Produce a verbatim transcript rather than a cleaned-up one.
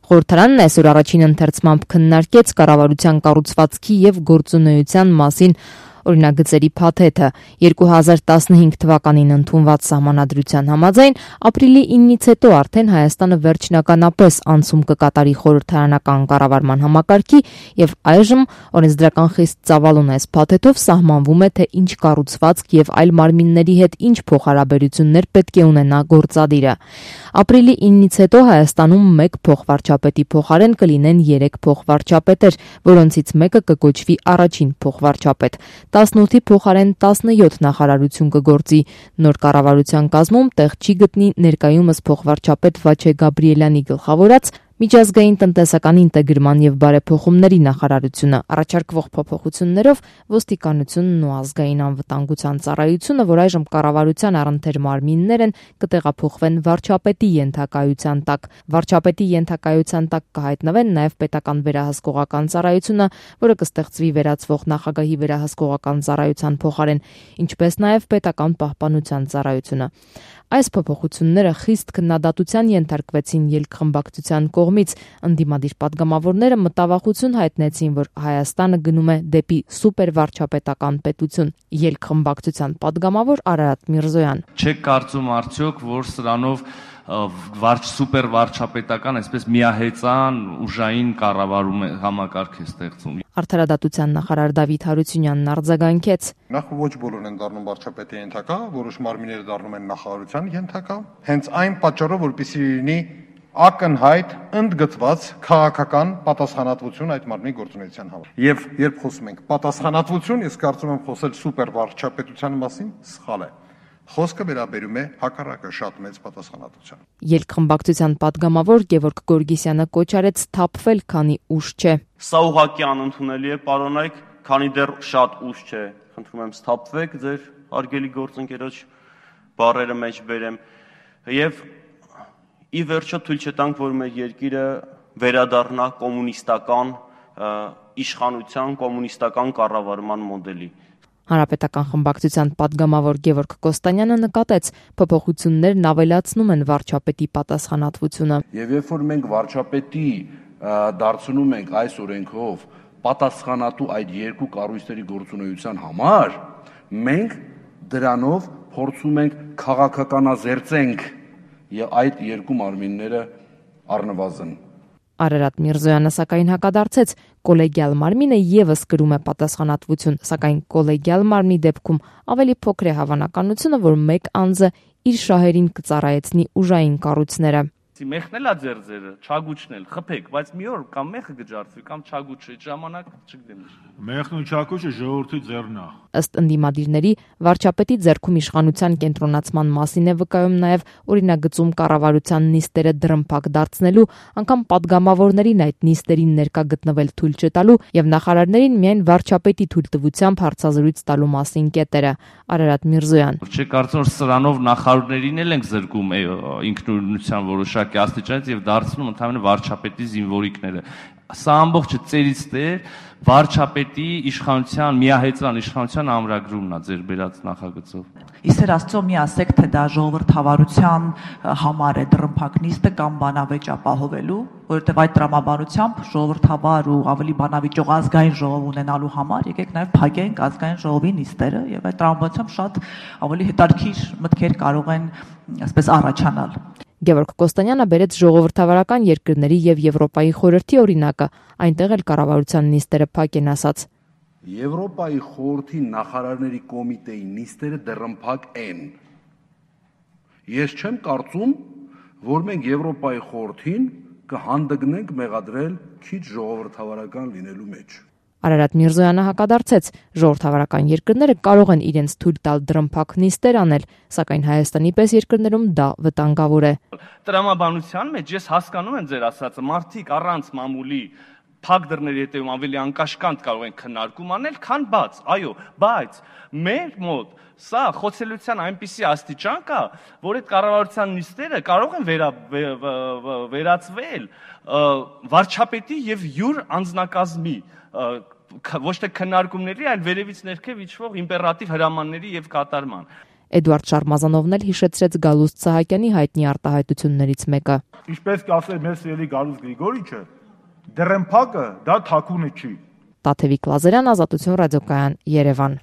Խորհրդարանն այսօր առաջին ընթերցմամբ քննարկեց կառավարության կառուցվածքի եւ գործունեության մասին օրինագծերի փաթեթը երկու հազար տասնհինգ թվականին ընդունված սահմանադրության համաձայն ապրիլի իննից հետո արդեն Հայաստանը վերջնականապես անցում կկատարի խորհրդարանական կառավարման համակարգի եւ այժմ օրենսդրական խիստ ծավալուն այս փաթեթով սահմանվում է թե ինչ կառուցվածք եւ այլ մարմինների հետ ինչ փոխհարաբերություններ պետք է ունենա գործադիրը։ Ապրիլի իննից հետո Հայաստանում մեկ փոխվարչապետի փոխարեն կլինեն երեք փոխվարչապետեր, որոնցից մեկը կկոչվի առաջին փոխվարչապետ։ տասնութի փոխարեն տասնյոթ նախարարություն կգործի։ Նոր կառավարության կազմում տեղ չի գտնի ներկայումս փոխվարչապետ Վաչե Գաբրիելյանի գլխավորած Միջազգային տնտեսական ինտեգրման եւ բարեփոխումների նախարարությունը առաջարկվող փոփոխություններով ոստիկանությունն ու ազգային անվտանգության ծառայությունը, որ այժմ կառավարության առընթեր մարմիններ են, կտեղափոխվեն վարչապետի ենթակայության տակ։ Վարչապետի ենթակայության տակ կհայտնվեն նաեւ պետական վերահսկողական ծառայությունը, որը կստեղծվի վերացվող նախագահի վերահսկողական ծառայության փոխարեն, ինչպես նաեւ պետական պահպանության ծառայությունը։ Այս փոփոխությունները խիստ քննադատության ենթարկվեցին ելքխմբակցության կողմից։ Ընդդիմադիր պատգամավորները մտավախություն հայտնեցին, որ Հայաստանը գնում է դեպի սուպերվարչապետական պետություն։ Ելքխմբակցության պատգամավոր Արարատ Միրզոյան. Չեք կարծում արդյոք, որ սրանով վարչ սուպերվարչապետական, այսպես միահեծան ուժային կառավարում է համակարգ է ստեղծում։ Արդարադատության նախարար Դավիթ Հարությունյանն արձագանքեց. Նախ ոչ բոլորն են դառնում վարչապետի ենթակա, որոշ մարմինները դառնում են նախարարության ենթակա։ Հենց այն պատճառով, որպեսզի լինի ակնհայտ ընդգծված քաղաքական պատասխանատվություն այդ մարմնի գործունեության համար։ Եվ երբ խոսում ենք պատասխանատվություն, ես կարծում եմ խոսել սուպերվարչապետության մասին սխալ է։ Խոսքը վերաբերում է հակառակը շատ մեծ պատասխանատվության։ Ելքխմբակցության պատգամավոր Գևորգ Գորգիսյանը կոչ արեց սթափվել, քանի ուշ չէ։ Սա ուղղակի անընդունելի է, պարոնայք, քանի դեռ շատ ուշ չէ։ Խնդրում եմ սթափվեք, ձեր հարգելի գործընկերոջ բառերը մեջ բերեմ։ Եվ ի վերջո թույլ չտանք, որ մեր երկիրը վերադառնա կոմունիստական իշխանության, կոմունիստական կառավարման մոդելի։ Հանրապետական խմբակցության պատգամավոր Գևորգ Կոստանյանը նկատեց, փոփոխություններն ավելացնում են վարչապետի պատասխանատվությունը։ Եվ երբ որ մենք վարչապետի դարձնում ենք այս օրենքով պատասխանատու այդ երկու կառույցների գործունեության համար, մենք դրանով փորձում ենք քաղաքականազերծենք եւ այդ երկու մարմինները առնվազն։ Արարատ Միրզոյանը սակայն հակադարձեց, կոլեգիալ մարմինը եւս կրում է պատասխանատվություն, սակայն կոլեգիալ մարմնի դեպքում ավելի փոքր է հավանականությունը, որ մեկ անձը իր շահերին կծառայեցնի ուժային կառույցները։ Մեխն էլա ձեր ձերը, չագուչն էլ, խփեք, բայց մի օր կամ մեխը կջարդվի, կամ չագուչը, այդ ժամանակ չգիտեմ ինչ։ Մեխն ու չագուչը ժողովրդի ձեռն է։ Ըստ ընդդիմադիրների, վարչապետի ձեռքում իշխանության կենտրոնացման մասին է վկայում նաև օրինագծում կառավարության նիստերը դրմփակ դարձնելու, անգամ պատգամավորներին այդ նիստերին ներկա գտնվել թույլ չտալու եւ նախարարներին միայն վարչապետի թույլտվությամբ հարցազրույց տալու մասին կետերը։ Արարատ Միրզոյան. Չէ՞ կարծում որ սրանով նախարարներին էլ ենք զրկում ինքնուրույնության որոշակի աստիճանից եւ դարձնում ընդհանրապես վարչապետի զինվորիկները։ Սա ամբողջը ծերից տեր վարչապետի իշխանության, միահեծան իշխանության ամրագրումն է ձեր բերած նախագծով։ Իսեր Աստծո մի ասեք, թե դա ժողովրդավարության համար է դրմփակ նիստը կամ բանավեճ ապահովելու, որովհետև այդ տրամաբանությամբ ժողովրդավար ու ավելի բանավիճող ազգային ժողով ունենալու համար եկեք նաև փակենք ազգային ժողովի նիստերը եւ այդ տրամաբանությամբ շատ ավելի հետաքրքիր մտքեր կարող են այսպես առաջանալ։ Գևորգ Կոստանյանը բերեց ժողովրդավարական երկրների եւ Եվրոպայի խորհրդի օրինակը, այնտեղ էլ կառավարության նիստերը փակ են ասած։ Եվրոպայի խորհրդի նախարարների կոմիտեի նիստերը դեռմփակ են։ Ես չեմ կարծում, որ մենք Եվրոպայի խորհրդին կհանդգնենք մեղադրել քիչ ժողովրդավարական լինելու մեջ։ Արարատ Միրզոյանը հակադարձեց, ժողովրդավարական երկրները կարող են իրենց թույլ տալ դրմփակ նիստեր անել, սակայն Հայաստանի պես երկրներում դա վտանգավոր է։ Տրամաբանության մեջ ես հասկանում եմ ձեր ասածը, մարդիկ առանց մամուլի փակ դռների հետևում ավելի անկաշկանդ կարող են քննարկում անել, քան բաց, այո, բայց մեր մոտ սա խոցելիության այնպիսի աստիճան կա, որ այդ կառավարության նիստերը կարող են վերա, վերածվել վարչապետի եւ յուր անձնակազմի ոչ թե քննարկումների, այլ վերևից ներքև իջվող իմպերատիվ հրամանների եւ կատարման։ Էդուարդ Շարմազանովն էլ հիշեցրեց Գալուստ Սահակյանի հայտնի արտահայտություններից մեկը։ Ինչպես կասեր մեր սիրելի Գալուստ Գրիգորիչը, դրեմփակը դա թաքունը չի։ Տաթևիկ Լազարյան, Ազատություն ռադիոկայան, Երևան։